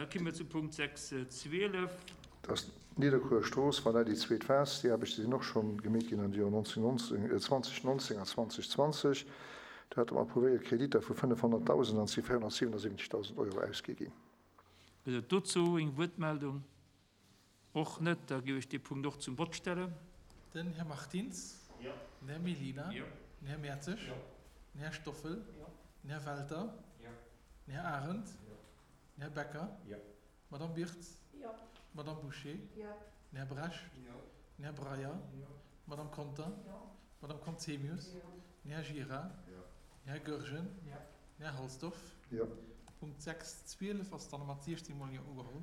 Da komme mer zu Punkt 6, 12. Dat ass d'Nidderkuerer Strooss, voilà, déi zweet Phas. Déi Aarbechte sinn och scho gemeet ginn an de Joren 2019 an 2020. Do hate mer approuvéiert Kreditter vu 500.000 an et si 477.000 Euro ausgi ginn. Gëtt et dozou eng Wuertmeldung? Och net. Da géif ech dee Punkt och zum Vott stellen. Den Här Martins. Den Här Mellina. Den Här Mertzig. Den Här Stoffel. Den Här Welter. Den Här Arendt. Den Här Becker. D'Madame Birtz. D'Madame Bouché. Den Här Bresch. Den Här Breyer. D'Madame Conter. D'Madame Conzemius. Den Här Gira. Den Här Goergen. Den Här Halsdorf. Punkt 6, 12 ass dann mat 16 mol Jo ugeholl.